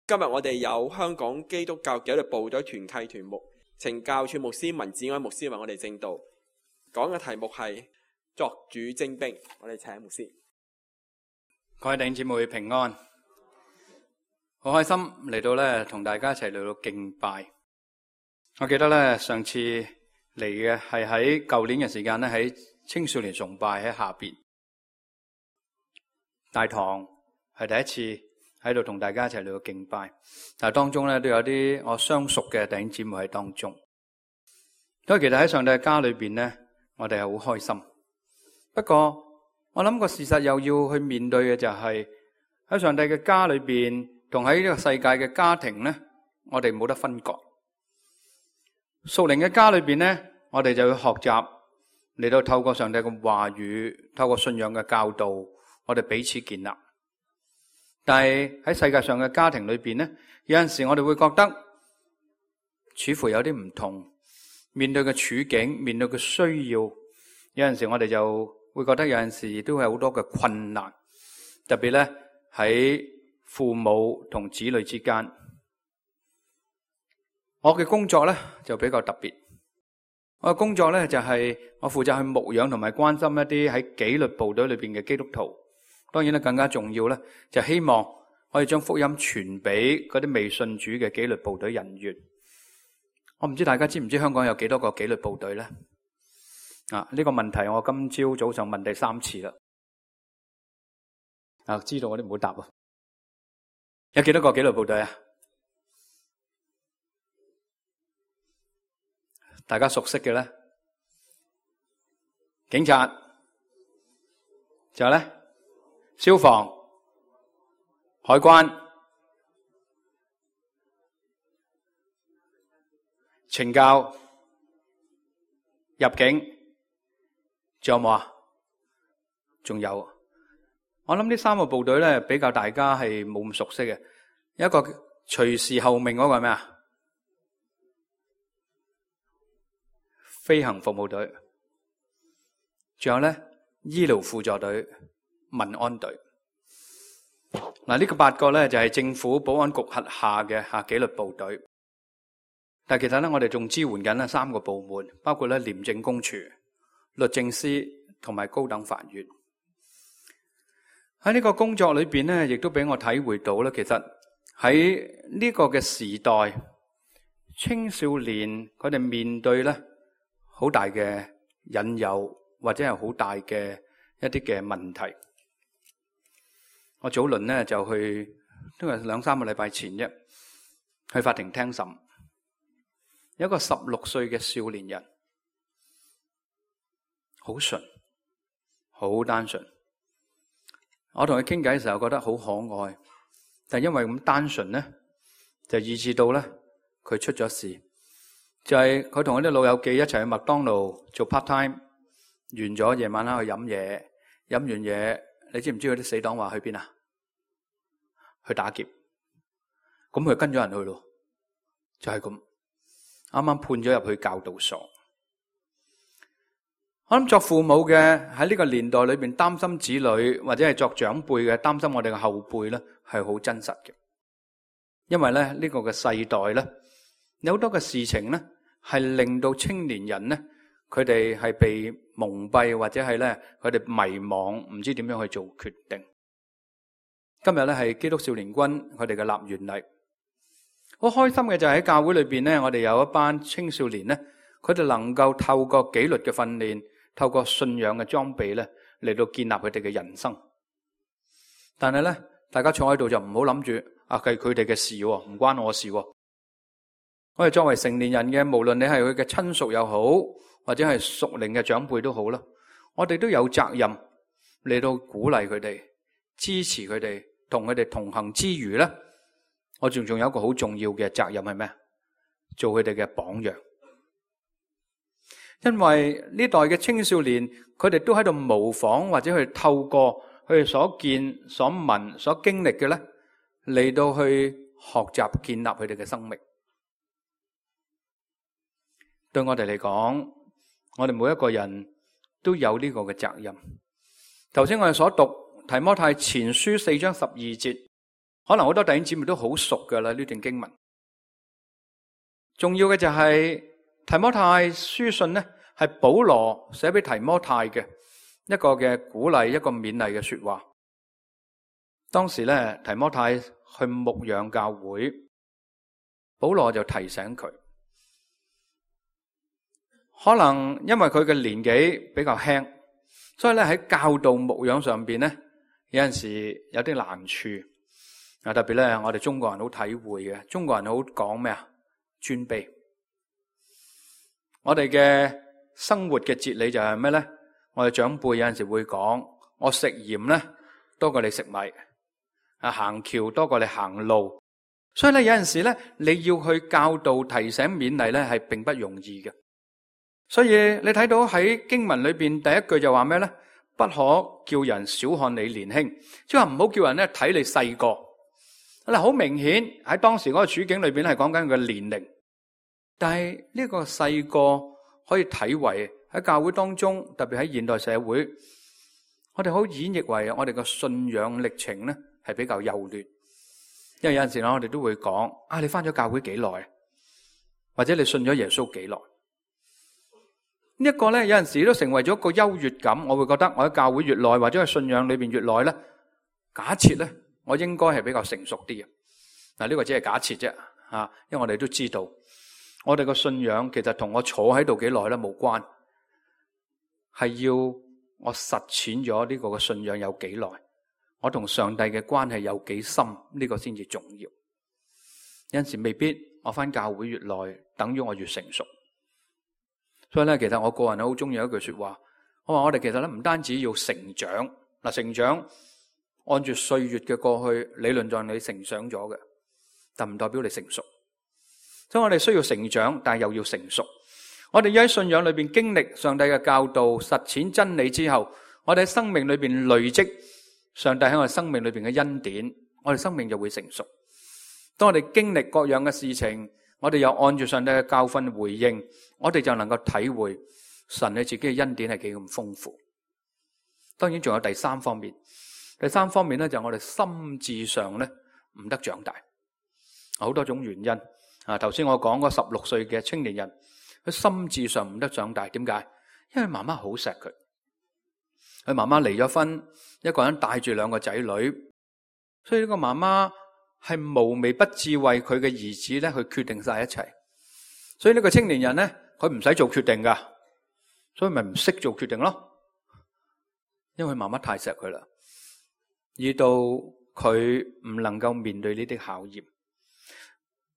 今日我哋有香港基督教紀律部隊團契團牧懲教處牧師文子安牧師為我哋證道，講嘅題目係作主精兵。我哋請牧師。各位弟兄姊妹平安，好開心嚟到咧，同大家一齊嚟到敬拜。我記得咧，上次嚟嘅係喺舊年嘅時間咧，喺青少年崇拜喺下邊大堂，係第一次喺度同大家一齊嚟到敬拜。但係當中咧都有啲我相熟嘅弟兄姊妹喺當中，所以其實喺上帝嘅家裏邊咧，我哋係好開心。不過我諗個事實又要去面對嘅就係喺上帝嘅家裏邊同喺呢個世界嘅家庭咧，我哋冇得分割。屬靈嘅家裏邊咧，我哋就要學習嚟到透過上帝嘅話語，透過信仰嘅教導，我哋彼此建立。但係喺世界上嘅家庭裏邊咧，有陣時我哋會覺得似乎有啲唔同，面對嘅處境，面對嘅需要，有陣時我哋就會覺得有陣時都有好多嘅困難，特別咧喺父母同子女之間。我嘅工作咧就比較特別，我嘅工作咧就係我負責去牧養同埋關心一啲喺紀律部隊裏邊嘅基督徒。當然咧更加重要咧，就希望可以將福音傳俾嗰啲未信主嘅紀律部隊人員。我唔知大家知唔知香港有幾多個紀律部隊咧？呢個問題我今朝早上問第3次啦。知道我都唔好答啊。有幾多個紀律部隊啊？大家熟悉嘅咧，警察，仲有咧，消防、海關、懲教、入境，仲有冇啊？仲有，我諗呢3個部隊咧比較大家係冇咁熟悉嘅。一個隨時候命嗰個係咩啊？飛行服務隊。仲有咧，醫療輔助隊、民安隊。呢個8個咧就係政府保安局轄下嘅紀律部隊。但係其實咧，我哋仲支援緊咧3個部門，包括咧廉政公署、律政司同埋高等法院。喺呢個工作裏邊咧，亦都俾我體會到咧，其實喺呢個嘅時代，青少年佢哋面對咧好大嘅引誘，或者係好大嘅一啲嘅問題。我早輪咧就去，都係2-3個禮拜前啫，去法庭聽審。有一個16歲嘅少年人，好純，好單純。我同佢傾偈嘅時候覺得好可愛，但係因為咁單純咧，就以致到咧佢出咗事。就係佢同嗰啲老友記一齊去麥當勞做 part time， 完咗夜晚黑去飲嘢，飲完嘢，你知唔知嗰啲死黨話去邊啊？去打劫。咁佢跟咗人去咯，就係咁。啱啱判咗入去教導所。我諗作父母嘅喺呢個年代裏邊擔心子女，或者係作長輩嘅擔心我哋嘅後輩咧，係好真實嘅。因為咧呢個嘅世代咧，有好多嘅事情咧係令到青年人咧，佢哋係被蒙蔽，或者係咧佢哋迷惘，唔知點樣去做決定。今日咧係基督少年軍佢哋嘅立園禮。好開心嘅就係喺教會裏邊咧，我哋有一班青少年咧，佢哋能夠透過紀律嘅訓練，透過信仰嘅裝備咧，嚟到建立佢哋嘅人生。但係咧，大家坐喺度就唔好諗住係佢哋嘅事，唔關我事。我哋作為成年人嘅，無論你係佢嘅親屬又好，或者係屬靈嘅長輩都好啦，我哋都有責任嚟到鼓勵佢哋，支持佢哋，同佢哋同行之餘咧，我仲有一個好重要嘅責任係咩？做佢哋嘅榜樣。因為呢代嘅青少年，佢哋都喺度模仿，或者去透過佢哋所見、所聞、所經歷嘅咧，嚟到去學習建立佢哋嘅生命。對我哋嚟講，我哋每一個人都有呢個嘅責任。頭先我哋所讀提摩太前書4章12節，可能好多弟兄姊妹都好熟噶啦呢段經文。重要嘅就係提摩太書信呢，係保羅寫俾提摩太嘅一個嘅鼓勵，一個勉勵嘅說話。當時咧，提摩太去牧養教會，保羅就提醒佢，可能因為佢嘅年紀比較輕，所以咧喺教導牧養上邊咧，有陣時有啲難處。特別咧，我哋中國人好體會嘅，中國人好講咩啊？尊卑。我哋嘅生活嘅哲理就係咩咧？我哋長輩有陣時會講，我食鹽咧多過你食米，行橋多過你行路。所以咧，有陣時咧，你要去教導、提醒、勉勵咧，係並不容易嘅。所以你睇到喺經文裏邊第一句就話咩咧？不可叫人小看你年輕，即係話唔好叫人咧睇你細個。嗱，好明顯喺當時嗰個處境裏邊係講緊佢嘅年齡。但係呢個細個可以睇為喺教會當中，特別喺現代社會，我哋好演繹為我哋嘅信仰歷程咧係比較幼嫩。因為有陣時我哋都會講啊，你返咗教會幾耐，或者你信咗耶穌幾耐？呢一個咧有陣時都成為咗一個優越感。我會覺得我喺教會越耐，或者喺信仰裏邊越耐咧，假設咧我應該係比較成熟啲嘅。嗱，呢個只係假設啫，因為我哋都知道。我哋個信仰其實同我坐喺度幾耐咧冇關，係要我實踐咗呢個嘅信仰有幾耐，我同上帝嘅關係有幾深，呢個先至重要。有陣時未必我返教會越耐，等於我越成熟。所以咧，其實我個人好中意一句說話，我話我哋其實咧唔單止要成長，嗱，成長按住歲月嘅過去，理論上你成長咗嘅，但唔代表你成熟。所以我哋需要成長，但係又要成熟。我哋要喺信仰裏邊經歷上帝嘅教導，實踐真理之後，我哋喺生命裏邊累積上帝喺我哋生命裏邊嘅恩典，我哋生命就會成熟。當我哋經歷各樣嘅事情，我哋又按住上帝嘅教訓回應，我哋就能夠體會神你自己嘅恩典係幾咁豐富。當然仲有第三方面，第三方面咧就係我哋心智上咧唔得長大，好多種原因。頭先我講嗰16歲嘅青年人，佢心智上唔得長大，點解？因為媽媽好錫佢，佢媽媽離咗婚，一個人帶住2個仔女，所以呢個媽媽係無微不至為佢嘅兒子咧去決定晒一切。所以呢個青年人咧，佢唔使做決定噶，所以咪唔識做決定咯。因為媽媽太錫佢啦，以到佢唔能夠面對呢啲考驗。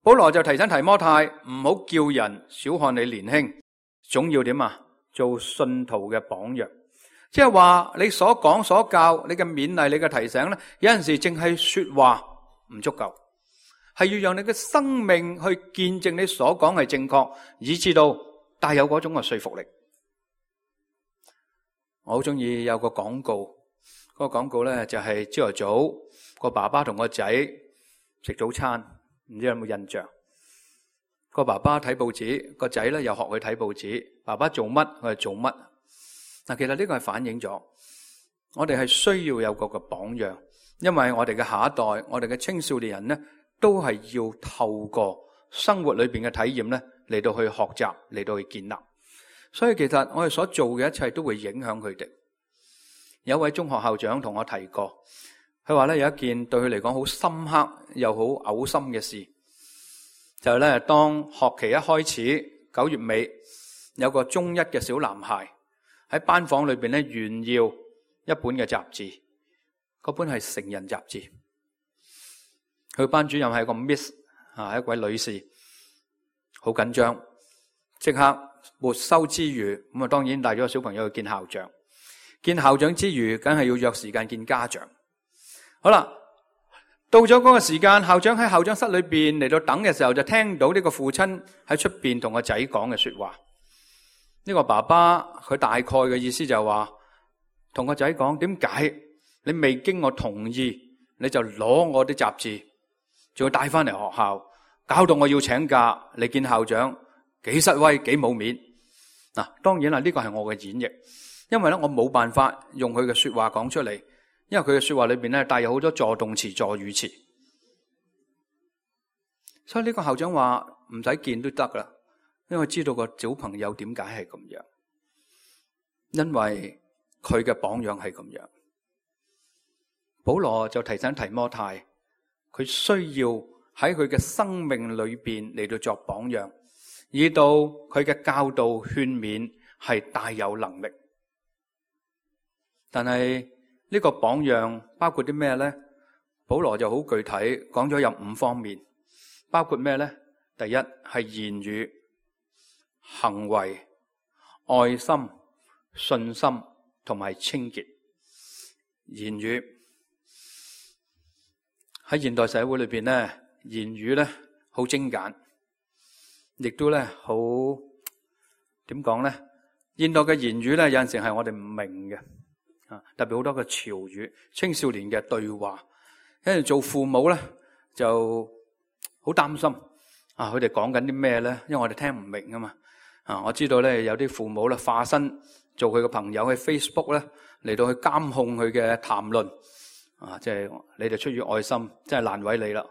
保羅就提醒提摩太唔好叫人小看你年輕，總要點啊？做信徒嘅榜樣，即係話你所講所教，你嘅勉勵，你嘅提醒咧，有陣時淨係說話唔足夠，係要讓你嘅生命去見證你所講係正確，以至到帶有嗰種嘅說服力。我好中意有個廣告，嗰個廣告咧就係朝頭早個爸爸同個仔食早餐。唔知有冇印象？個爸爸睇報紙，個仔咧又學佢睇報紙。爸爸做乜，佢係做乜。嗱，其實呢個係反映咗我哋係需要有個榜樣，因為我哋嘅下一代，我哋嘅青少年人咧，都係要透過生活裏邊嘅體驗咧嚟到去學習，嚟到去建立。所以其實我哋所做嘅一切都會影響佢哋。有一位中學校長同我提過。佢話咧有一件對佢嚟講好深刻又好嘔心嘅事，就係咧當學期一開始9月尾，有個中一嘅小男孩喺班房裏邊咧炫耀一本嘅雜誌，嗰本係成人雜誌。佢班主任係個 Miss 一位女士，好緊張，即刻沒收之餘，咁啊當然帶咗個小朋友去見校長。見校長之餘，梗係要約時間見家長。好啦，到咗嗰個時間，校長喺校長室裏邊嚟到等嘅時候，就聽到呢個父親喺出邊同個仔講嘅說話。呢個爸爸佢大概嘅意思就係話，同個仔講，點解你未經我同意，你就攞我啲雜誌，仲要帶翻嚟學校，搞到我要請假嚟見校長，幾失威，幾冇面。嗱，當然啦，呢個係我嘅演繹，因為咧我冇辦法用佢嘅說話講出嚟。因為佢嘅說話裏邊咧帶有好多助動詞、助語詞，所以呢個校長話唔使見都得噶啦，因為知道個小朋友點解係咁樣，因為佢嘅榜樣係咁樣。保羅就提醒提摩太，佢需要喺佢嘅生命裏邊嚟到作榜樣，以到佢嘅教導勸勉係大有能力。但係呢個榜樣包括啲咩呢？保羅就好具體講咗有5方面，包括咩呢？第一係言語、行為、愛心、信心同埋清潔。言語喺現代社會裏邊呢，言語呢好精簡，亦都呢好點講呢？現代嘅言語呢，有陣時係我哋唔明嘅。特別好多嘅潮語，青少年嘅對話，因為做父母咧就好擔心佢哋講緊啲咩咧？因為我哋聽唔明啊嘛。我知道咧有啲父母咧化身做佢嘅朋友喺 Facebook 咧嚟到去監控佢嘅談論，即係你哋出於愛心，真係難為你啦。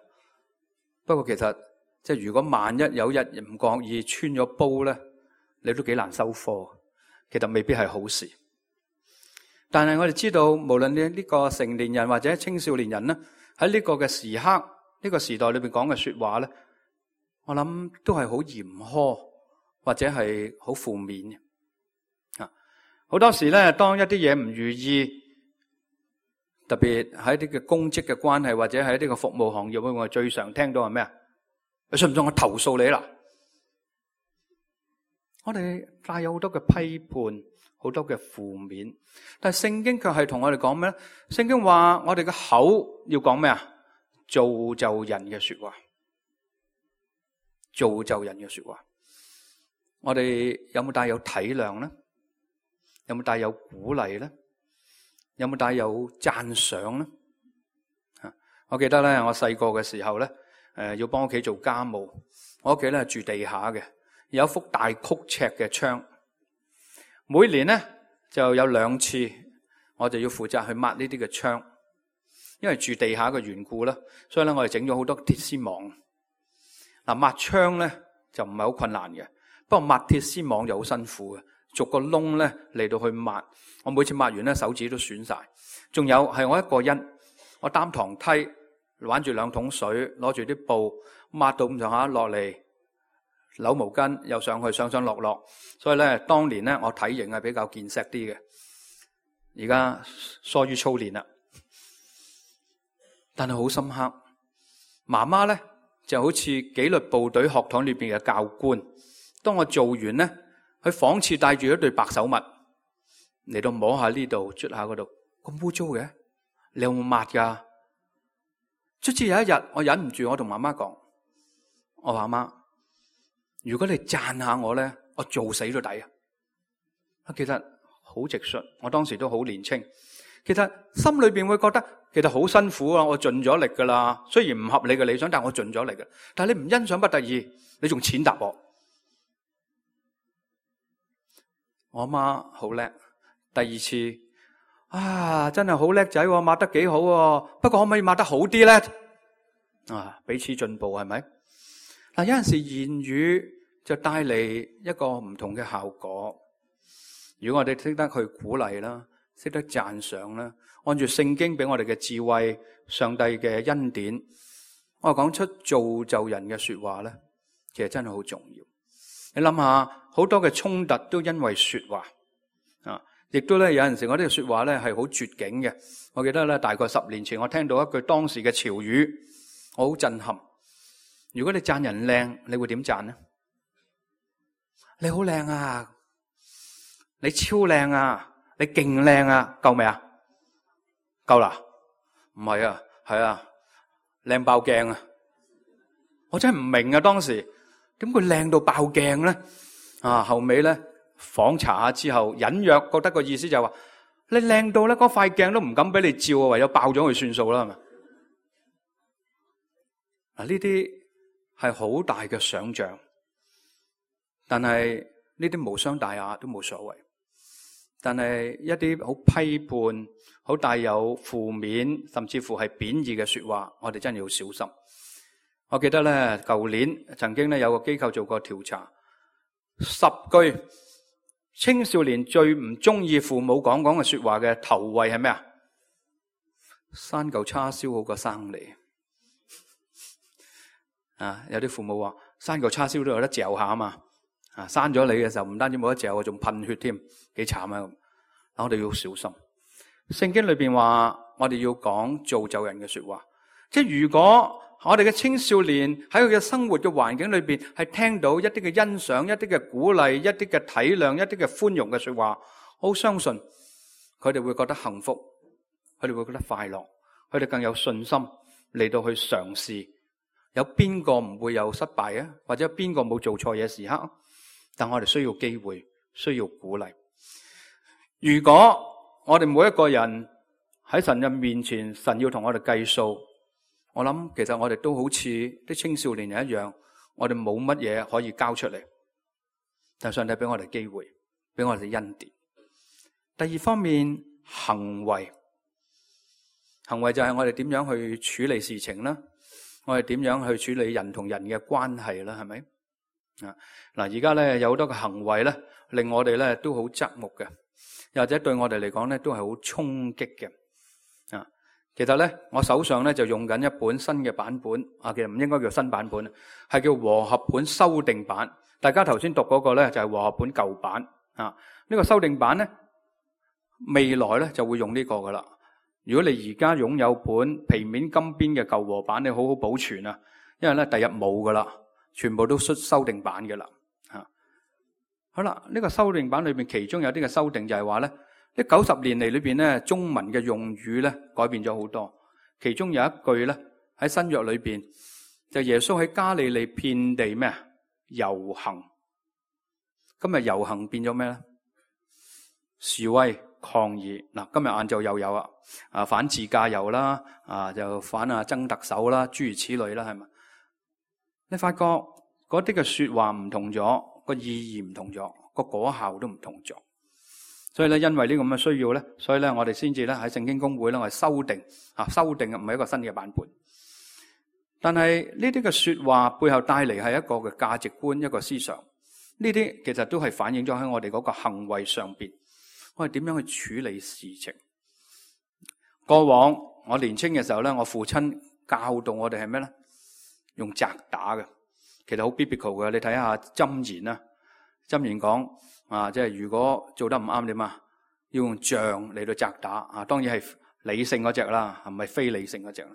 不過其實即係如果萬一有一日唔覺意穿咗煲咧，你都幾難收貨，其實未必係好事。但係我哋知道，無論你呢個成年人或者青少年人咧，喺呢個嘅時刻、呢個時代裏邊講嘅說話咧，我諗都係好嚴苛或者係好負面嘅。好多時咧，當一啲嘢唔如意，特別喺啲嘅公職嘅關係或者喺呢個服務行業，我最常聽到係咩啊？你信唔信我投訴你啦？我哋帶有好多嘅批判，好多嘅負面，但係聖經卻係同我哋講咩咧？聖經話我哋嘅口要講咩啊？造就人嘅說話，造就人嘅說話。我哋有冇帶有體諒咧？有冇帶有鼓勵咧？有冇帶有讚賞咧？我記得咧，我細個嘅時候咧，要幫屋企做家務，我屋企咧住地下嘅，有一幅大曲尺嘅窗。每年咧就有2次，我就要負責去抹呢啲嘅窗，因為住地下嘅緣故啦，所以咧我哋整咗好多鐵絲網。抹窗咧就唔係好困難嘅，不過抹鐵絲網就好辛苦嘅，逐個窿咧嚟到去抹。我每次抹完咧手指都損晒。仲有係我一個人，我擔堂梯，玩住2桶水，攞住啲布抹到咁上下落嚟。扭毛巾又上去上落落，所以咧當年咧我體型係比較健碩啲嘅，而家疏於操練啦。但係好深刻，媽媽咧就好似紀律部隊學堂裏邊嘅教官，當我做完咧，佢仿似帶住一對白手襪嚟到摸下呢度，捽下嗰度，咁污糟嘅，你有冇抹噶？卒之有一日我忍唔住，我同媽媽講，我話媽，如果你讚下我咧，我做死都抵啊！其實好直率，我當時都好年輕，其實心裏邊會覺得其實好辛苦啊！我盡咗力噶啦，雖然唔合你嘅理想，但我盡咗力嘅。但係你唔欣賞不得已，你仲踐踏我。我阿媽好叻，第2次真係好叻仔，抹得幾好，不過可唔可以抹得好啲咧？彼此進步係咪？有陣時言語就帶嚟一個唔同嘅效果。如果我哋識得去鼓勵啦，識得讚賞啦，按住聖經俾我哋嘅智慧、上帝嘅恩典，我講出造就人嘅說話咧，其實真係好重要。你諗下，好多嘅衝突都因為說話亦都咧有陣時我呢個說話咧係好絕境嘅。我記得咧大概10年前，我聽到一句當時嘅潮語，我好震撼。如果你讚人靚，你會點讚呢？你好靚啊，你超靚啊，你勁靚啊，夠未啊？夠啦？唔係啊，係啊，靚爆鏡啊！我真係唔明啊，當時點會靚到爆鏡咧？後尾咧訪查下之後，隱約覺得個意思就係話，你靚到咧嗰塊鏡都唔敢俾你照啊，唯有爆咗佢算數啦，係咪？呢啲係好大嘅想象，但係呢啲無傷大雅都冇所謂。但係一啲好批判、好帶有負面，甚至乎係貶義嘅說話，我哋真係要小心。我記得咧，舊年曾經咧有個機構做過調查，10句青少年最唔中意父母講嘅說話嘅頭位係咩啊？生嚿叉燒好過生你啊！有啲父母話生嚿叉燒都有得嚼下啊嘛，啊生咗你嘅時候唔單止冇得嚼，仲噴血添，幾慘啊！我哋要小心。聖經裏邊話我哋要講造就人嘅說話，即係如果我哋嘅青少年喺佢嘅生活嘅環境裏邊係聽到一啲嘅欣賞、一啲嘅鼓勵、一啲嘅體諒、一啲嘅寬容嘅說話，我好相信佢哋會覺得幸福，佢哋會覺得快樂，佢哋更有信心嚟到去嘗試。有邊個唔會有失敗啊？或者邊個冇做錯嘢時刻？但我哋需要機會，需要鼓勵。如果我哋每一個人喺神嘅面前，神要同我哋計數，我諗其實我哋都好似啲青少年人一樣，我哋冇乜嘢可以交出嚟。但上帝俾我哋機會，俾我哋恩典。第二方面，行為就係我哋點樣去處理事情啦，我哋點樣去處理人同人嘅關係啦，係咪？嗱，而家咧有好多嘅行為咧，令我哋咧都好側目嘅，又或者對我哋嚟講咧都係好衝擊嘅。其實咧，我手上咧就用緊一本新嘅版本，其實唔應該叫新版本，係叫和合本修訂版。大家頭先讀嗰個咧就係和合本舊版。呢個修訂版咧，未來咧就會用呢個噶啦。如果你而家擁有本皮面金邊嘅舊和版，你好好保存啊，因為咧第日冇噶啦，全部都出修訂版嘅啦。好啦，呢個修訂版裏邊其中有啲嘅修訂就係話咧，呢90年嚟裏邊咧，中文嘅用語咧改變咗好多。其中有一句咧喺新約裏邊，就耶穌喺加利利遍地咩啊遊行。今日遊行變咗咩咧？示威抗議。嗱，今日晏晝又有反自駕遊啦，就反曾特首啦，諸如此類啦，係咪？你發覺嗰啲嘅說話唔同咗，個意義唔同咗，個果效都唔同咗。所以咧，因為呢個咁嘅需要咧，所以咧我哋先至咧喺聖經公會咧，我哋修訂唔係一個新嘅版本。但係呢啲嘅說話背後帶嚟係一個嘅價值觀，一個思想。呢啲其實都係反映咗喺我哋嗰個行為上邊，我哋點樣去處理事情。過往我年青嘅時候咧，我父親教導我哋係咩咧？用責打嘅，其實好 biblical 嘅。你睇下箴言啦，箴言講即係如果做得唔啱點啊，要用杖嚟到責打當然係理性嗰隻啦，係咪非理性嗰隻？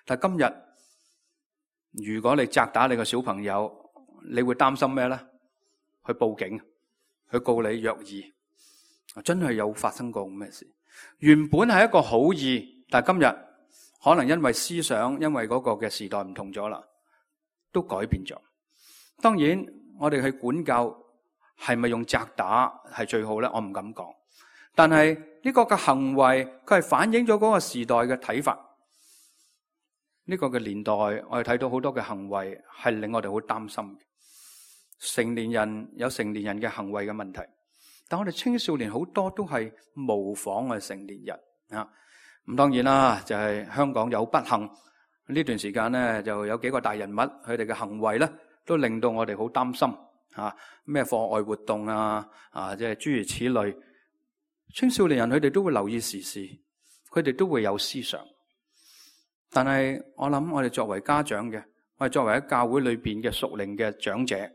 但係今日如果你責打你個小朋友，你會擔心咩咧？去報警，去告你虐兒。真係有發生過咁嘅事。原本係一個好意，但係今日可能因為思想，因為嗰個嘅時代唔同咗啦，都改變咗。當然我哋去管教係咪用責打係最好咧？我唔敢講。但係呢個嘅行為，佢係反映咗嗰個時代嘅睇法。呢個嘅年代，我哋睇到好多嘅行為係令我哋好擔心嘅。成年人有成年人嘅行為嘅問題，但我哋青少年好多都係模仿我哋成年人咁當然啦，就係香港有不幸呢段時間咧，就有幾個大人物佢哋嘅行為咧，都令到我哋好擔心咩課外活動即係諸如此類。青少年人佢哋都會留意時事，佢哋都會有思想。但係我諗我哋作為家長嘅，我哋作為喺教會裏邊嘅屬靈嘅長者，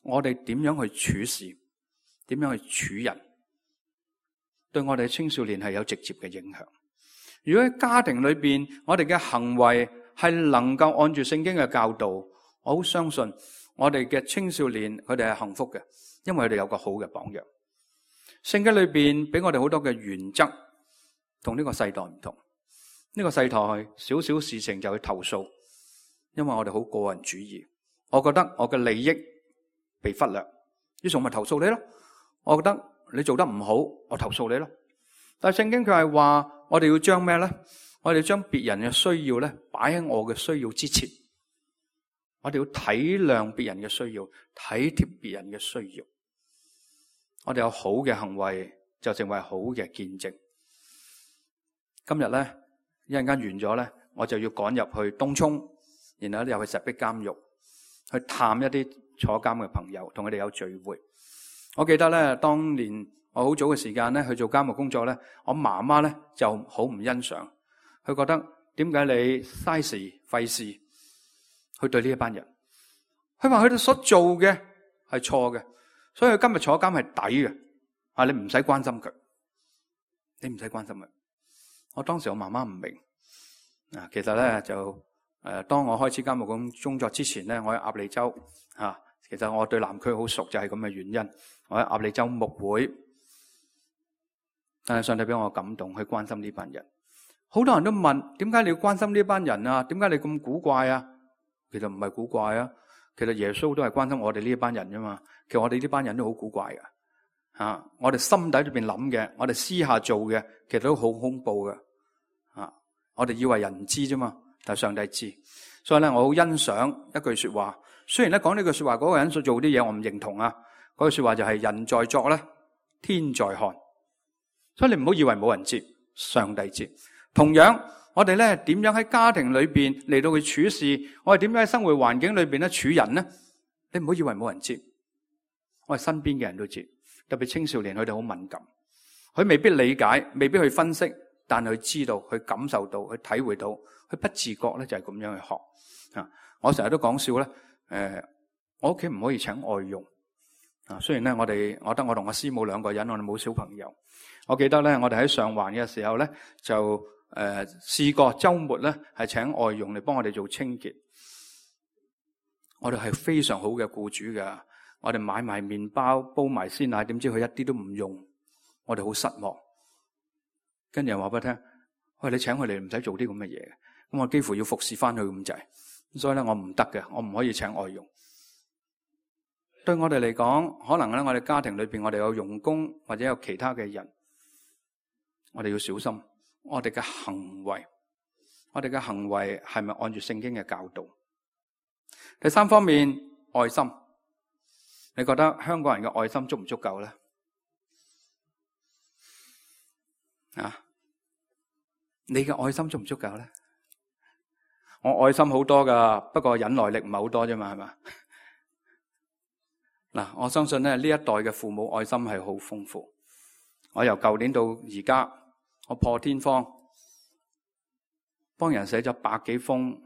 我哋點樣去處事，點樣去處人，對我哋青少年係有直接嘅影響。如果喺家庭裏邊，我哋嘅行為係能夠按住聖經嘅教導，我好相信我哋嘅青少年佢哋係幸福嘅，因為佢哋有個好嘅榜樣。聖經裏邊俾我哋好多嘅原則，同呢個世代唔同。呢個世代少少事情就去投訴，因為我哋好個人主義。我覺得我嘅利益被忽略，於是我咪投訴你咯。我覺得你做得唔好，我投訴你咯。但係聖經佢係話，我哋要將咩咧？我哋要將別人嘅需要咧擺喺我嘅需要之前。我哋要體諒別人嘅需要，體貼別人嘅需要。我哋有好嘅行為，就成為好嘅見證。今日咧，一陣間完咗咧，我就要趕入去東涌，然後咧又去石壁監獄去探一啲坐監嘅朋友，同佢哋有聚會。我記得咧，當年我好早嘅時間咧去做監獄工作咧，我媽媽咧就好唔欣賞，佢覺得點解你嘥時費事去對呢一班人？佢話佢哋所做嘅係錯嘅，所以佢今日坐監係抵嘅。啊，你唔使關心佢，你唔使關心佢。我當時我媽媽唔明啊，其實咧就當我開始監獄工作之前咧，我喺鴨脷洲啊，其實我對南區好熟，就係咁嘅原因。我喺鴨脷洲牧會，但係上帝俾我感動去關心呢班人。好多人都問，點解你要關心呢班人啊？點解你咁古怪啊？其實唔係古怪啊，其實耶穌都係關心我哋呢一班人啫嘛。其實我哋呢班人都好古怪噶，我哋心底裏邊諗嘅，我哋私下做嘅，其實都好恐怖嘅，我哋以為人唔知啫嘛，但係上帝知。所以咧，我好欣賞一句說話。雖然咧講呢句說話嗰個人所做啲嘢我唔認同啊，嗰句說話就係人在作咧，天在看。所以你唔好以為冇人知，上帝知。同樣，我哋咧點樣喺家庭裏邊嚟到去處事，我哋點樣喺生活環境裏邊咧處人咧？你唔好以為冇人知，我哋身邊嘅人都知。特別青少年，佢哋好敏感，佢未必理解，未必去分析，但係佢知道，佢感受到，佢體會到，佢不自覺咧就係咁樣去學。我成日都講笑咧，我屋企唔可以請外傭。雖然咧我得我同我師母兩個人，我哋冇小朋友。我記得咧，我哋喺上環嘅時候咧，就試過週末咧係請外傭嚟幫我哋做清潔。我哋係非常好嘅僱主㗎，我哋買埋麵包，煲埋鮮奶，點知佢一啲都唔用，我哋好失望。跟住又話俾佢聽，喂，你請佢嚟唔使做啲咁嘅嘢，咁我幾乎要服侍翻佢咁滯，所以咧我唔得嘅，我唔可以請外傭。對我哋嚟講，可能咧我哋家庭裏邊我哋有傭工或者有其他嘅人，我哋要小心我哋嘅行為，我哋嘅行為係咪按住聖經嘅教導？第三方面，愛心，你覺得香港人嘅愛心足唔足夠咧？你嘅愛心足唔足夠咧？我愛心好多噶，不過忍耐力唔係好多啫嘛，係嘛？嗱，我相信咧呢一代嘅父母愛心係好豐富。我由舊年到而家，我破天荒幫人寫咗100幾封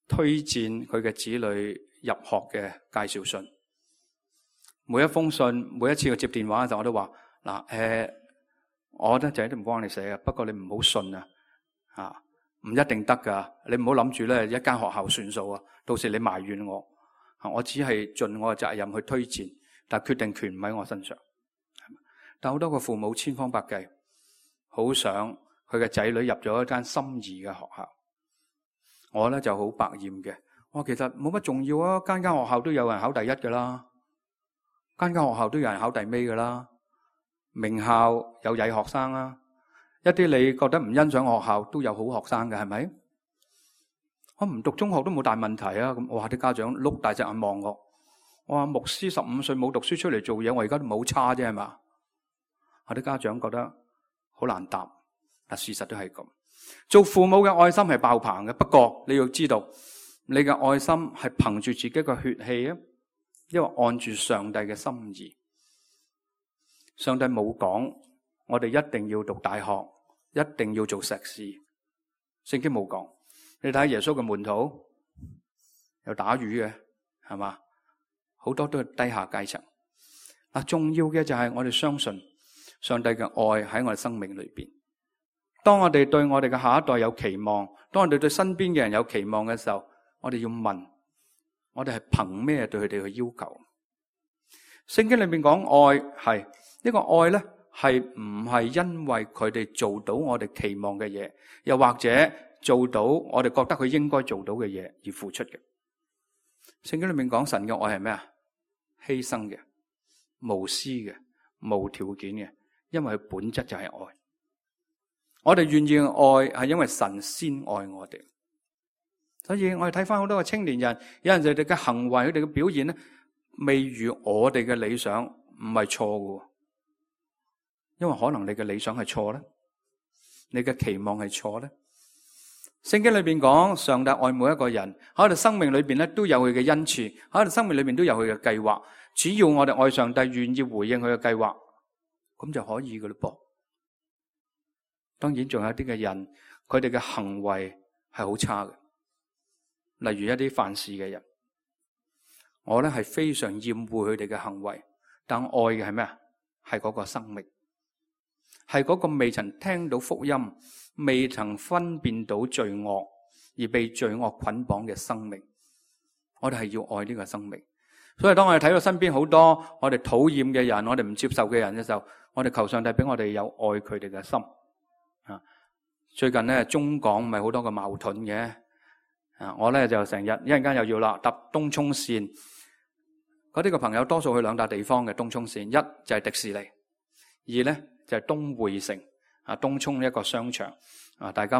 推薦佢嘅子女入學嘅介紹信。每一封信，每一次我接電話嘅時候，我都話嗱，我覺得仔都唔幫你寫嘅，不過你唔好信啊，唔一定得噶。你唔好諗住咧一間學校算數啊，到時你埋怨我。我只係盡我嘅責任去推薦，但係決定權唔喺我身上。但好多個父母千方百計，好想佢嘅仔女入咗一間心儀嘅學校。我咧就好百厭嘅，我其實冇乜重要啊，間學校都有人考第一噶啦，間學校都有人考第尾噶啦。名校有曳學生啊，一啲你覺得唔欣賞學校都有好學生嘅，係咪？我唔讀中學都冇大問題啊！咁我話啲家長碌大隻眼望我，我話牧師15歲冇讀書出嚟做嘢，我而家都冇差啫，係嘛？我啲家長覺得好難答，但事實都係咁。做父母嘅愛心係爆棚嘅，不過你要知道，你嘅愛心係憑住自己嘅血氣啊，因為按住上帝嘅心意。上帝冇講我哋一定要讀大學，一定要做碩士，聖經冇講。你睇耶穌嘅門徒有打魚嘅，係嘛？好多都係低下階層。重要嘅就係我哋相信上帝嘅愛喺我哋生命裏邊。當我哋對我哋嘅下一代有期望，當我哋對身邊嘅人有期望嘅時候，我哋要問：我哋係憑咩對佢哋去要求？聖經裏面講愛係呢個愛咧，係唔係因為佢哋做到我哋期望嘅嘢，又或者做到我哋覺得佢應該做到嘅嘢而付出嘅？聖經裏面講神嘅愛係咩啊？犧牲嘅、無私嘅、無條件嘅，因為佢本質就係愛。我哋願意愛係因為神先愛我哋。所以我哋睇翻好多嘅青年人，有陣時佢哋嘅行為、佢哋嘅表現咧，未如我哋嘅理想，唔係錯嘅。因為可能你嘅理想係錯咧，你嘅期望係錯咧。聖經裏邊講，上帝愛每一個人，喺我哋生命裏邊咧都有佢嘅恩賜，喺我哋生命裏邊都有佢嘅計劃。只要我哋愛上帝，願意回應佢嘅計劃，咁就可以噶啦噃。當然仲有啲嘅人，佢哋嘅行為係好差嘅，例如一啲犯事嘅人，我咧係非常厭惡佢哋嘅行為，但愛嘅係咩啊？係嗰個生命，係嗰個未曾聽到福音，未曾分辨到罪惡而被罪惡捆綁嘅生命。我哋係要愛呢個生命。所以當我哋睇到身邊好多我哋討厭嘅人，我哋唔接受嘅人嘅時候，我哋求上帝俾我哋有愛佢哋嘅心。最近咧中港咪好多個矛盾嘅，我咧就成日一陣間又要啦搭東涌線，嗰啲個朋友多數去兩笪地方嘅東涌線，一就係迪士尼，二咧就係東匯城東涌一個商場大家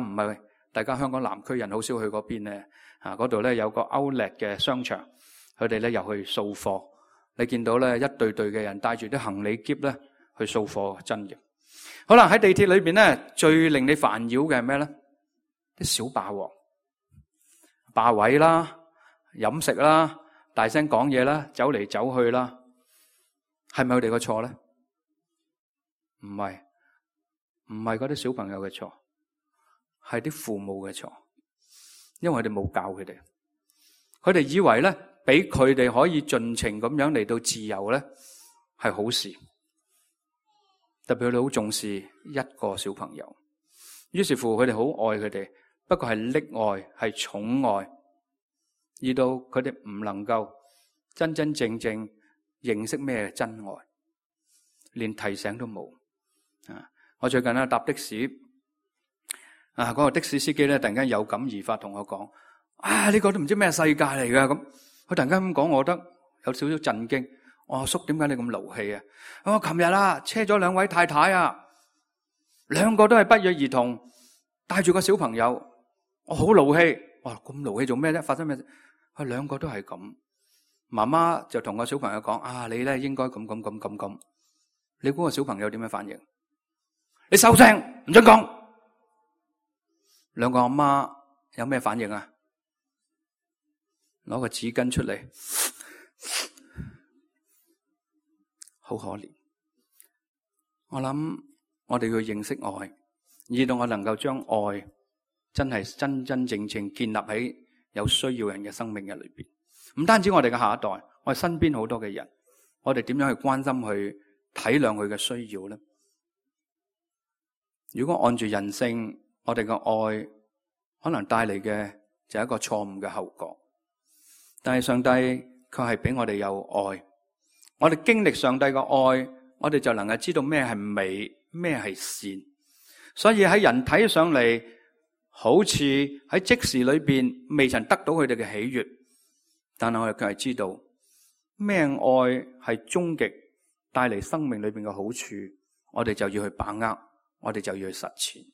香港南區人好少去嗰邊咧，嗰度咧有個 Outlet 嘅商場，佢哋咧又去掃貨，你見到咧一隊隊嘅人帶住啲行李篋咧去掃貨，真嘅。好啦，喺地鐵裏邊咧，最令你煩擾嘅係咩咧？啲小霸王霸位啦、飲食啦、大聲講嘢啦、走嚟走去啦，係咪佢哋個錯咧？唔係嗰啲小朋友嘅錯，係啲父母嘅錯，因為佢哋冇教佢哋，佢哋以為咧俾佢哋可以盡情咁樣嚟到自由咧係好事。特別佢哋好重視一個小朋友，於是乎佢哋好愛佢哋，不過係溺愛，係寵愛，而到佢哋唔能夠真真正正認識咩真愛，連提醒都冇。我最近搭的士，嗰個的士司機咧突然間有感而發同我講：呢個都唔知咩世界嚟噶。咁佢突然間咁講，我覺得有少少震驚。阿叔，點解你咁勞氣啊？我琴日車咗兩位太太兩個都係不約而同，帶住個小朋友，我好勞氣。哇，咁勞氣做咩啫？發生咩事？佢兩個都係咁，媽媽就同個小朋友講：你咧應該咁。你估個小朋友點樣反應？你收聲，唔准講。兩個阿媽有咩反應啊？攞個紙巾出嚟。好可憐，我諗我哋要認識愛，以到我能夠將愛真係真真正正建立喺有需要人嘅生命嘅裏邊。唔單止我哋嘅下一代，我哋身邊好多嘅人，我哋點樣去關心去體諒佢嘅需要呢？如果按住人性，我哋嘅愛可能帶嚟嘅就係一個錯誤嘅後果，但係上帝卻係俾我哋有愛。我哋經歷上帝嘅愛，我哋就能夠知道咩係美，咩係善。所以喺人睇上嚟，好似喺即時裏邊未曾得到佢哋嘅喜悅，但係我哋卻係知道咩愛係終極帶嚟生命裏邊嘅好處，我哋就要去把握，我哋就要去實踐。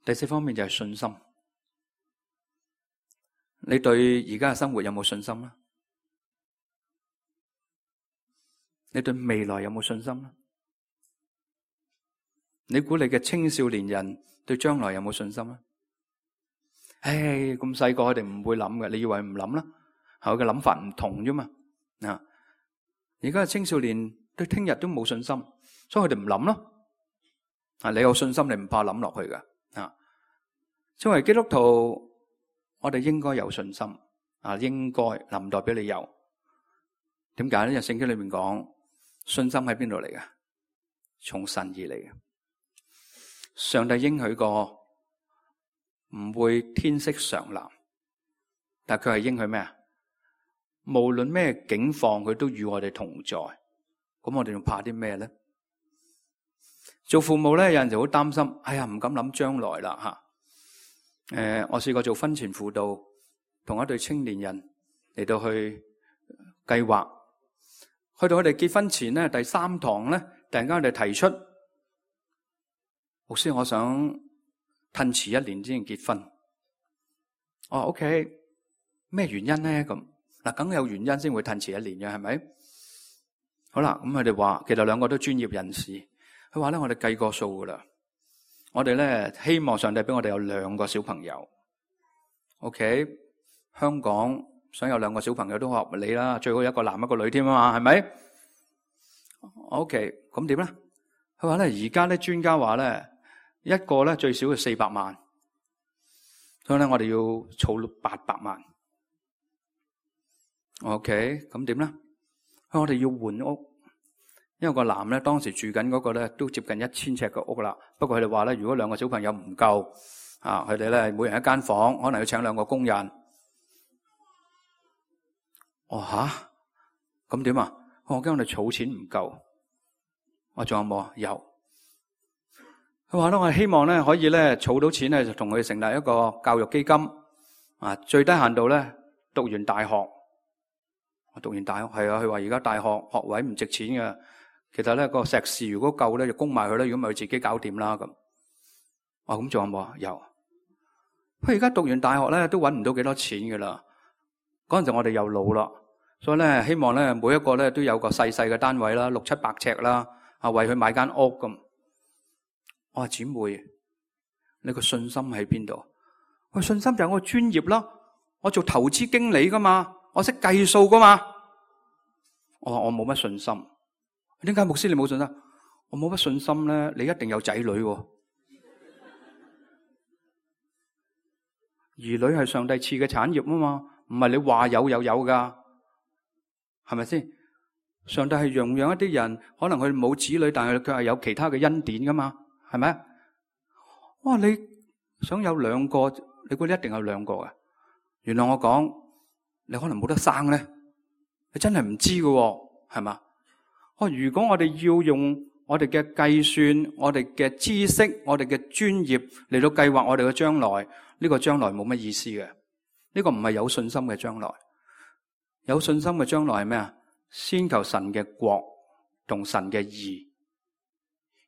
第四方面就係信心。你對而家嘅生活有冇信心呢？你對未來有冇信心呢？你估你嘅青少年人對將來有冇信心呢？咁細個佢哋唔會諗嘅，你以為唔諗啦？佢嘅諗法唔同啫嘛。而家嘅青少年對聽日都冇信心，所以佢哋唔諗咯。你有信心，你唔怕諗落去噶。作為基督徒，我哋應該有信心。應該唔代表你有。點解呢？因為聖經裏面講。信心喺邊度嚟嘅？從神而嚟嘅。上帝應許過唔會天色常藍，但佢係應許咩啊？無論咩境況，佢都與我哋同在。咁我哋仲怕啲咩咧？做父母咧，有陣時好擔心，唔敢諗將來啦吓。我試過做婚前輔導，同一對青年人嚟到去計劃。去到佢哋結婚前咧，第3堂咧，突然間佢哋提出，牧師，我想褪遲1年先結婚。OK， 咩原因咧？咁梗有原因先會褪遲1年嘅，係咪？好啦，咁佢哋話，其實兩個都專業人士，佢話咧，我哋計過數噶啦，我哋咧希望上帝俾我哋有2個小朋友。OK， 香港想有2個小朋友都合理啦，最好一個男一個女添啊嘛，係咪 ？OK， 咁點咧？佢話咧，而家咧專家話咧，一個咧最少要400萬，所以咧我哋要儲800萬。OK， 咁點咧？我哋要換屋，因為個男咧當時住緊嗰個咧都接近1000尺嘅屋啦。不過佢哋話咧，如果2個小朋友唔夠啊，佢哋咧每人一間房，可能要請2個工人。哦吓，咁點啊？我驚我哋儲錢唔夠。我仲有冇啊？有。佢話咧，我希望咧可以咧儲到錢咧，就同佢成立一個教育基金啊，最低限度咧讀完大學。我讀完大學係啊，佢話而家大學學位唔值錢嘅，其實咧個碩士如果夠咧就供埋佢啦，如果咪佢自己搞掂啦咁。咁仲有冇啊？有。佢而家讀完大學咧都搵唔到幾多錢噶啦。嗰陣時我哋又老啦，所以咧希望咧每一個咧都有個細細嘅單位啦，600、700尺啦，為佢買間屋咁。我話姊妹，你個信心喺邊度？我信心就係我專業啦，我做投資經理噶嘛，我識計數噶嘛。我話我冇乜信心。點解牧師你冇信心？我冇乜信心咧，你一定有仔女喎。兒女係上帝賜嘅產業啊嘛，唔係你話有又有噶，係咪先？上帝係容養一啲人，可能佢冇子女，但係佢係有其他嘅恩典噶嘛，係咪？哇！你想有2個，你估你一定有2個嘅？原來我講，你可能冇得生咧，你真係唔知㗎，係嘛？如果我哋要用我哋嘅計算、我哋嘅知識、我哋嘅專業嚟到計劃我哋嘅將來，呢個將來冇乜意思嘅。呢個唔係有信心嘅將來。有信心嘅將來係咩啊？先求神嘅國同神嘅義，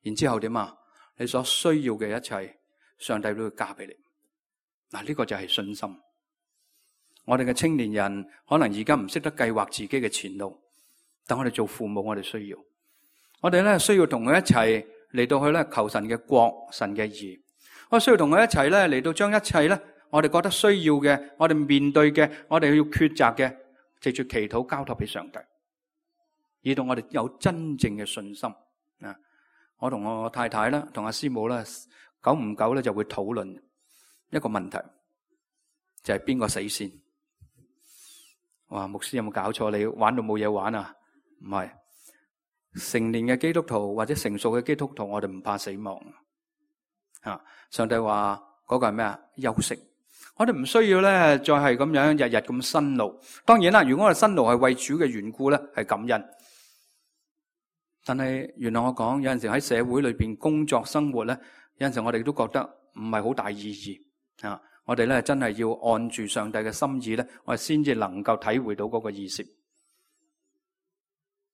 然之後點啊？你所需要嘅一切，上帝都會加俾你。嗱，呢個就係信心。我哋嘅青年人可能而家唔識得計劃自己嘅前路，但我哋做父母，我哋需要，我哋咧需要同佢一齊嚟到去咧求神嘅國、神嘅義。我需要同佢一齊咧嚟到將一切咧我哋覺得需要嘅、我哋面對嘅、我哋要抉擇嘅，藉住祈禱交託俾上帝，以到我哋有真正嘅信心啊！我同我太太啦，同阿師母啦，久唔久咧就會討論一個問題，就係邊個死先？哇！牧師有冇搞錯？你玩到冇嘢玩啊？唔係，成年嘅基督徒或者成熟嘅基督徒，我哋唔怕死亡啊！上帝話嗰個係咩啊？休息。我哋唔需要咧，再係咁樣日日咁辛勞。當然啦，如果我哋辛勞係為主嘅緣故咧，係感恩。但係原來我講有陣時喺社會裏邊工作生活咧，有陣時我哋都覺得唔係好大意義啊！我哋咧真係要按住上帝嘅心意咧，我哋先至能夠體會到嗰個意思。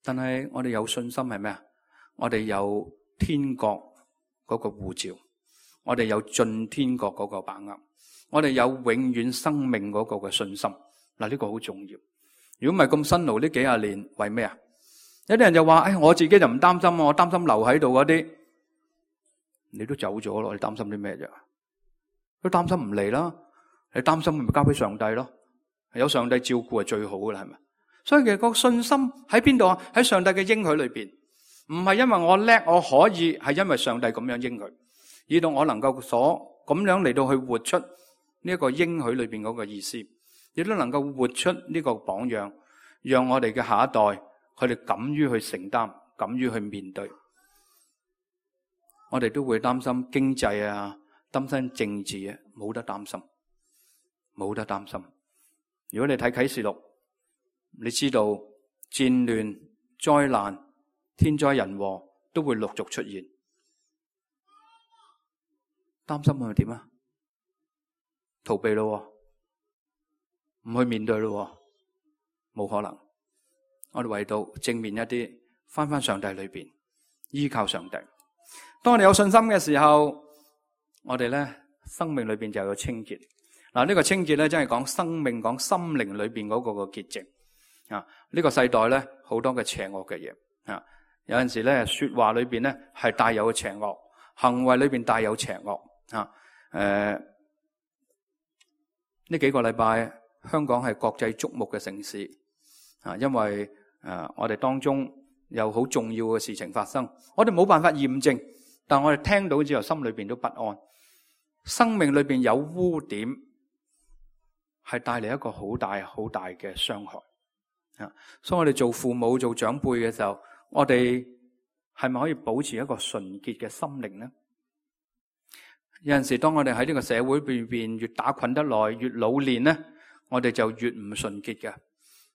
但係我哋有信心係咩啊？我哋有天國嗰個護照，我哋有進天國嗰個把握，我哋有永遠生命嗰個嘅信心。嗱，呢個好重要。如果唔係咁辛勞呢幾廿年，為咩啊？有啲人就話：我自己就唔擔心，我擔心留喺度嗰啲，你都走咗咯，你擔心啲咩啫？都擔心唔嚟啦，你擔心咪交俾上帝咯，有上帝照顧係最好噶啦，係咪？所以其實個信心喺邊度啊？喺上帝嘅應許裏邊，唔係因為我叻我可以，係因為上帝咁樣應許，以到我能夠咁樣嚟到去活出呢一個應許裏邊嗰個意思，亦都能夠活出呢個榜樣，讓我哋嘅下一代佢哋敢於去承擔，敢於去面對。我哋都會擔心經濟啊，擔心政治啊，冇得擔心，冇得擔心。如果你睇啟示錄，你知道戰亂、災難、天災人禍都會陸續出現，擔心係咪點啊？逃避咯，唔去面對咯，冇可能。我哋唯到正面一啲，翻上帝裏邊，依靠上帝。當我哋有信心嘅時候，我哋咧生命裏邊就有清潔。嗱，呢個清潔咧真係講生命、講心靈裏邊嗰個潔淨啊！呢個世代咧好多嘅邪惡嘅嘢啊，有陣時咧說話裏邊咧係帶有邪惡，行為裏邊帶有邪惡啊。呢幾個禮拜香港係國際矚目嘅城市啊，因為我哋當中有好重要嘅事情發生，我哋冇辦法驗證，但我哋聽到之後心裏邊都不安，生命裏邊有污點，係帶嚟一個好大好大嘅傷害啊！所以我哋做父母做長輩嘅時候，我哋係咪可以保持一個純潔嘅心靈呢？有陣時當我哋喺呢個社會裏邊越打滾得耐，越老練呢，我哋就越唔純潔嘅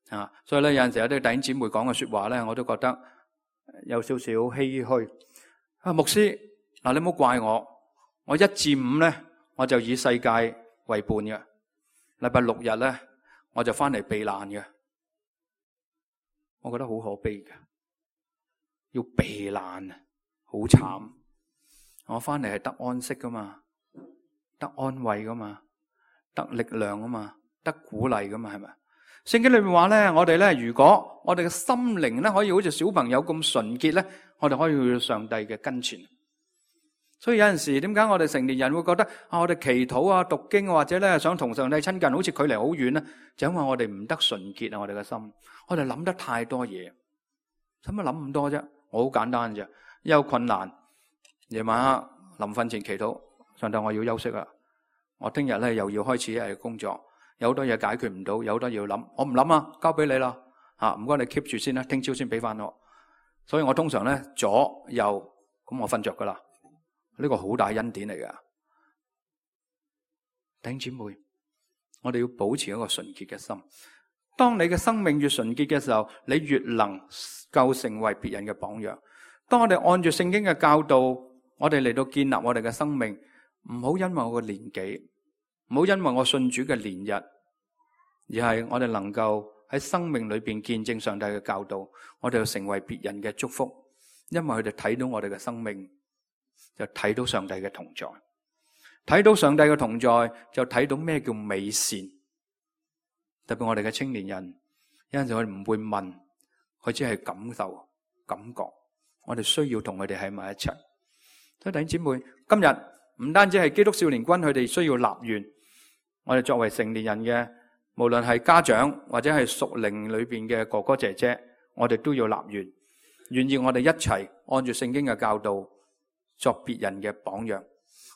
啊！所以咧有陣時有啲弟兄姊妹講嘅說話咧，我都覺得有少少唏噓啊！牧師嗱，你唔好怪我，我1至5咧我就以世界為伴嘅，禮拜6日咧我就翻嚟避難嘅。我覺得好可悲嘅，要避難好慘。我翻嚟係得安息噶嘛，得安慰噶嘛，得力量噶嘛，得鼓勵噶嘛，係咪？聖經裏面話咧，我哋咧，如果我哋嘅心靈咧可以好似小朋友咁純潔咧，我哋可以去到上帝嘅跟前。所以有陣時，點解我哋成年人會覺得我哋祈禱啊、讀經或者咧想同上帝親近，好似距離好遠咧？就因為我哋唔得純潔啊！我哋嘅心，我哋諗得太多嘢，使乜諗咁多啫？我好簡單啫，一有困難，夜晚黑臨瞓前祈禱，上帝我要休息啦，我聽日咧又要開始一日工作，有好多嘢解決唔到，有好多嘢要諗，我唔諗啊，交俾你啦，唔該你 keep 住先啦，聽朝先俾翻我。所以我通常咧左右咁我瞓着噶啦。呢個好大恩典嚟噶，弟兄姊妹，我哋要保持一個純潔嘅心。當你嘅生命越純潔嘅時候，你越能夠成為別人嘅榜樣。當我哋按住聖經嘅教導，我哋嚟到建立我哋嘅生命，唔好因為我嘅年紀，唔好因為我信主嘅年日，而係我哋能夠喺生命裏邊見證上帝嘅教導，我哋要成為別人嘅祝福，因為佢哋睇到我哋嘅生命，就睇到上帝嘅同在，睇到上帝嘅同在，就睇到咩叫美善。特別我哋嘅青年人，有陣時佢唔會問，佢只係感受、感覺。我哋需要同佢哋喺埋一齊。所以弟兄姊妹，今日唔單止係基督少年軍，佢哋需要立願。我哋作為成年人嘅，無論係家長或者係屬靈裏邊嘅哥哥姐姐，我哋都要立願，願意我哋一齊按住聖經嘅教導，作別人嘅榜樣。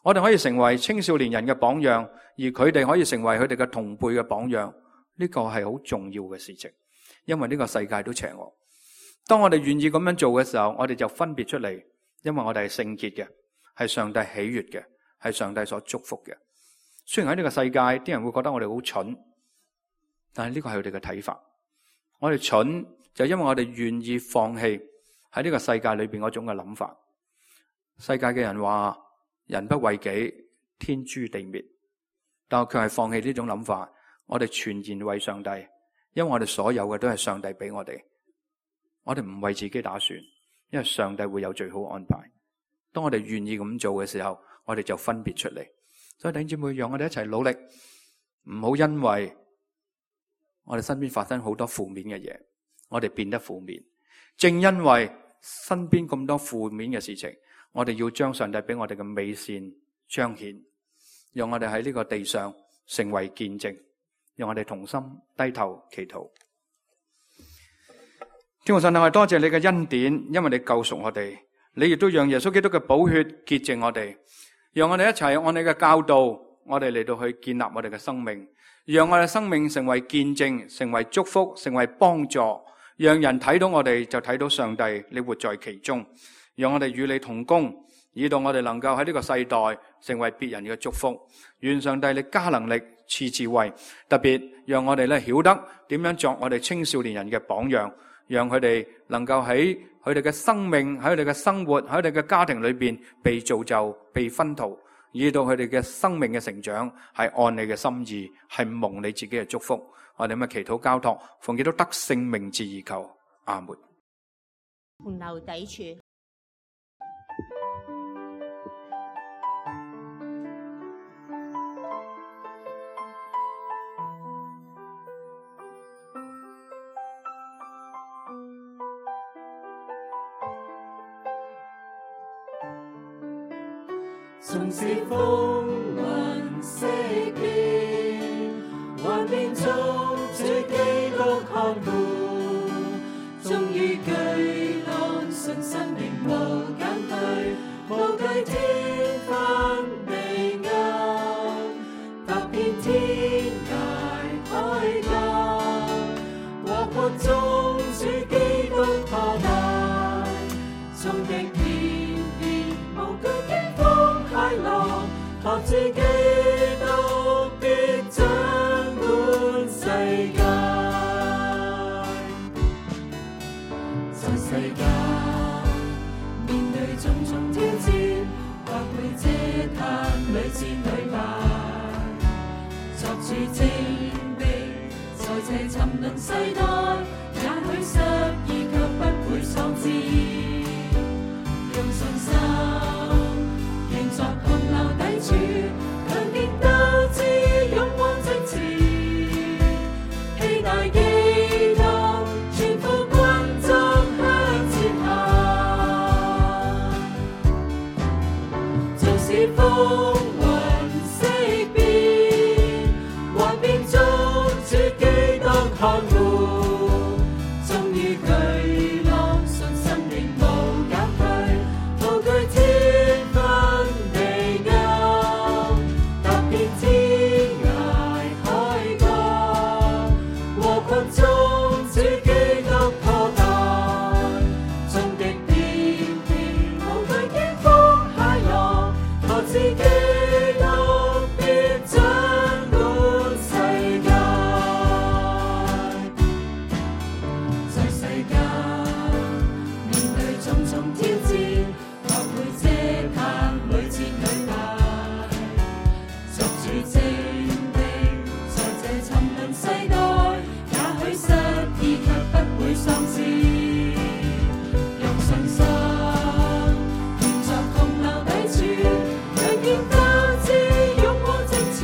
我哋可以成為青少年人嘅榜樣，而佢哋可以成為佢哋嘅同輩嘅榜樣。呢個係好重要嘅事情，因為呢個世界都邪惡。當我哋願意咁樣做嘅時候，我哋就分別出嚟，因為我哋係聖潔嘅，係上帝喜悅嘅，係上帝所祝福嘅。雖然喺呢個世界，啲人會覺得我哋好蠢，但係呢個係佢哋嘅睇法。我哋蠢就因為我哋願意放棄喺呢個世界裏邊嗰種嘅諗法。世界嘅人話人不為己，天誅地滅，但我卻係放棄呢種諗法。我哋全然為上帝，因為我哋所有嘅都係上帝俾我哋。我哋唔為自己打算，因為上帝會有最好安排。當我哋願意咁做嘅時候，我哋就分別出嚟。所以弟兄姊妹，讓我哋一齊努力，唔好因為我哋身邊發生好多負面嘅嘢，我哋變得負面。正因為身邊咁多負面嘅事情，我哋要將上帝俾我哋嘅美善彰顯，讓我哋喺呢個地上成為見證。讓我哋同心低頭祈禱。天父上帝，我哋多謝你嘅恩典，因為你救贖我哋，你亦都讓耶穌基督嘅寶血潔淨我哋，讓我哋一齊按你嘅教導，我哋嚟到去建立我哋嘅生命，讓我哋生命成為見證，成為祝福，成為幫助，讓人睇到我哋就睇到上帝，你活在其中，讓我哋與你同工，以到我哋能夠喺呢個世代成為別人嘅祝福。願上帝你加能力賜智慧，特別讓我哋咧曉得點樣作我哋青少年人嘅榜樣，讓佢哋能夠喺佢哋嘅生命、喺佢哋嘅生活、喺佢哋嘅家庭裏邊被造就、被薰陶，以到佢哋嘅生命嘅成長係按你嘅心意，係蒙你自己嘅祝福。我哋咁嘅祈禱交託，奉基督得勝名字而求，阿門。盤樓砥柱。縱是風雲色變，幻變中主基督看顧，終於巨浪信心仍無減退，無懼天昏地暗，踏遍天涯海角，禍國中主基督破大，眾敵連連無懼驚風駭浪，學自基督必掌管世界。在世界面對種種挑戰，或會嗟嘆屢戰屢敗，作主精兵，在這沉淪世代，也許失意卻不會喪志，用信心仍作洪流砥柱，強勁鬥志勇往直前，期待基督全副軍裝向前行，縱使風雲色變，幻變中主基督看顧，終於巨浪信心仍無減退，無懼天昏地暗，踏遍天涯海角，禍國中主基督破大，眾敵連連無懼驚風駭浪，學自基督必掌管世界。在世界面對種種挑戰，或會嗟嘆屢戰屢敗，作主精兵，在這沉淪世代，也許失意卻不會喪志，用信心仍作洪流砥柱，強勁鬥志勇往直前，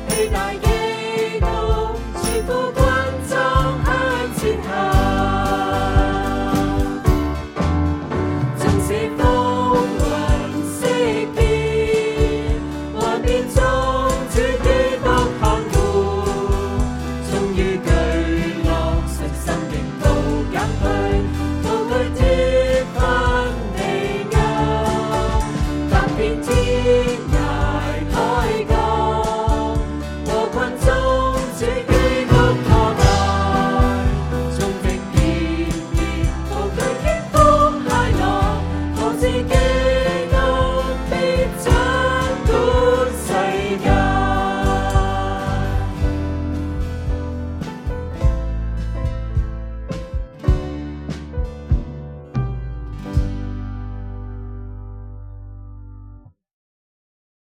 期待基督全副軍裝向前行，縱使風雲色變，幻變中主基督看顧，終於巨浪信心仍無減退，無懼天昏地暗，踏遍天涯海角，禍困中主基督破大，眾敵連連無懼驚風駭浪，學自基督必掌管世界。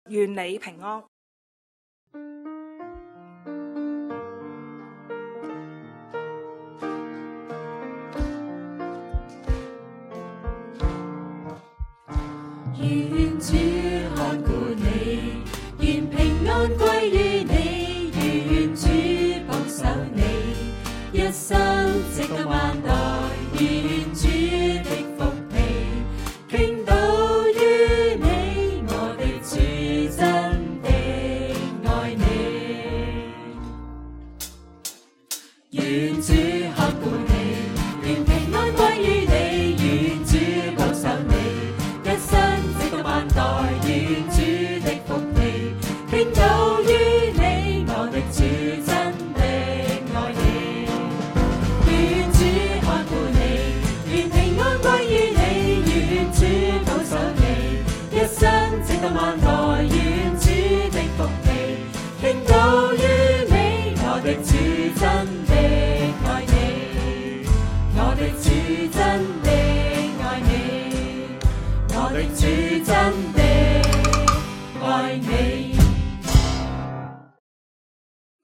願你平安。願主看顧你，願平安歸於你，願主保守你，一生直到萬代，願主的福氣傾倒於你，我的主真的愛你。願主看顧你，願平安歸於你，願主保守你，一生直到萬代，願主的福氣傾倒於你，我的主真的愛你。願主看顧你，願平安歸於你，願主保守你，一生直到萬代，願主的福氣傾倒於你，我的主真的愛你，我的主真的愛你，我的主真的愛你。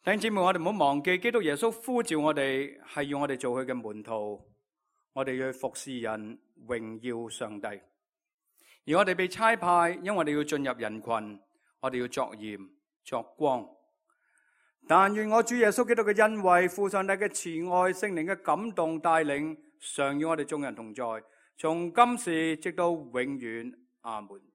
弟兄姊妹，我哋唔好忘記，基督耶穌呼召我哋，係要我哋做佢嘅門徒，我哋要去服侍人，榮耀上帝。而我哋被差派，因為我哋要進入人群，我哋要作鹽作光。但願我主耶穌基督嘅恩惠、父上帝嘅慈愛、聖靈嘅感動帶領，常與我哋眾人同在，從今時直到永遠。阿門。